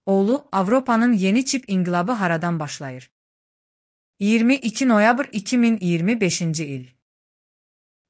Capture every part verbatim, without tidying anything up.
Oğlu, Avropanın yeni çip inqilabı haradan başlayır? iyirmi iki noyabr iki min iyirmi beşinci il.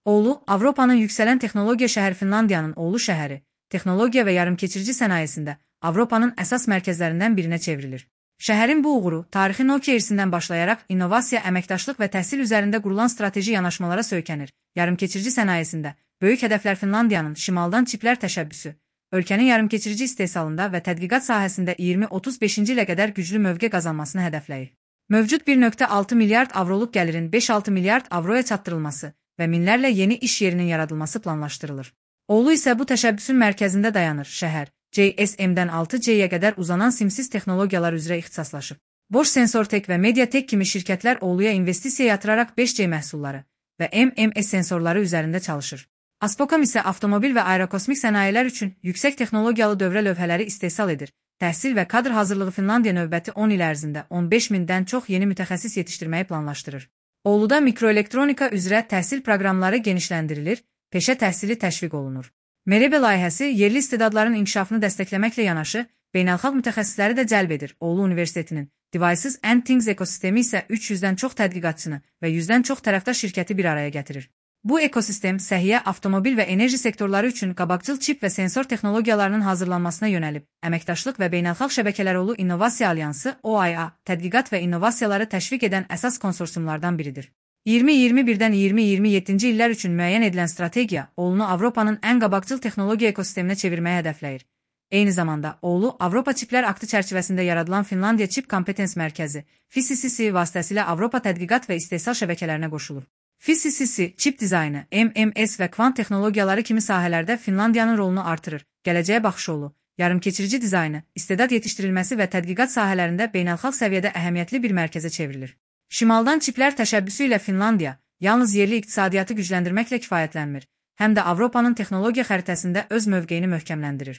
Oğlu, Avropanın yükselen texnologiya şəhər Finlandiyanın Oğlu şəhəri, texnologiya və yarımkeçirici sənayesində Avropanın əsas mərkəzlərindən birinə çevrilir. Şəhərin bu uğuru, tarixi Nokia irsindən başlayaraq innovasiya, əməkdaşlıq və təhsil üzərində qurulan strateji yanaşmalara söykənir. Yarımkeçirici sənayesində böyük hədəflər Finlandiyanın şimaldan çiplər təşəbbüsü, ölkənin yarımkeçirici istehsalında və tədqiqat sahəsində iyirmi otuz beşinci ilə qədər güclü mövqe qazanmasını hədəfləyir. Mövcud bir nöqtə altı milyard avroluq gəlirin beş altı milyard avroya çatdırılması və minlərlə yeni iş yerinin yaradılması planlaşdırılır. Oğlu isə bu təşəbbüsün mərkəzində dayanır. Şəhər, G S M-dən altı G-yə qədər uzanan simsiz texnologiyalar üzrə ixtisaslaşıb. Boş Sensortek və Mediatek kimi şirkətlər Oğluya investisiya yatıraraq beş G məhsulları və M M S sensorları üzərində çalışır. Aspocam isə avtomobil və aerokosmik sənayələr üçün yüksək texnologiyalı dövrə lövhələri istehsal edir. Təhsil və kadr hazırlığı Finlandiya növbəti on il ərzində on beş mindən çox yeni mütəxəssis yetişdirməyi planlaşdırır. Oğluda mikroelektronika üzrə təhsil proqramları genişləndirilir, peşə təhsili təşviq olunur. Merebe layihəsi yerli istedadların inkişafını dəstəkləməklə yanaşı, beynəlxalq mütəxəssisləri də cəlb edir. Oğlu Universitetinin Devices and Things ekosistemi isə üç yüzdən çox tədqiqatçını və yüzdən çox tərəfdaş şirkəti bir araya gətirir. Bu ekosistem səhiyyə, avtomobil və enerji sektorları üçün qabaqcıl çip və sensor texnologiyalarının hazırlanmasına yönəlib. Əməkdaşlıq və beynəlxalq şəbəkələr Oğlu İnnovasiya Alyansı O I A, tədqiqat və innovasiyaları təşviq edən əsas konsorsiumlardan biridir. iyirmi iyirmi birdən iyirmi iyirmi yeddinci illər üçün müəyyən edilən strategiya Oğlunu Avropanın ən qabaqcıl texnologiya ekosisteminə çevirməyə hədəfləyir. Eyni zamanda Oğlu Avropa Çiplər Aktı çərçivəsində yaradılan Finlandiya Çip Kompetens Mərkəzi F I S I C vasitəsilə Avropa tədqiqat və istehsal şəbəkələrinə qoşulur. F I S I C, çip dizaynı, M M S və kvant texnologiyaları kimi sahələrdə Finlandiyanın rolunu artırır. Gələcəyə baxış Oğlu, yarımkeçirici dizaynı, istedad yetişdirilməsi və tədqiqat sahələrində beynəlxalq səviyyədə əhəmiyyətli bir mərkəzə çevrilir. Şimaldan çiplər təşəbbüsü ilə Finlandiya yalnız yerli iqtisadiyyatı gücləndirməklə kifayətlənmir, həm də Avropanın texnologiya xəritəsində öz mövqeyini möhkəmləndirir.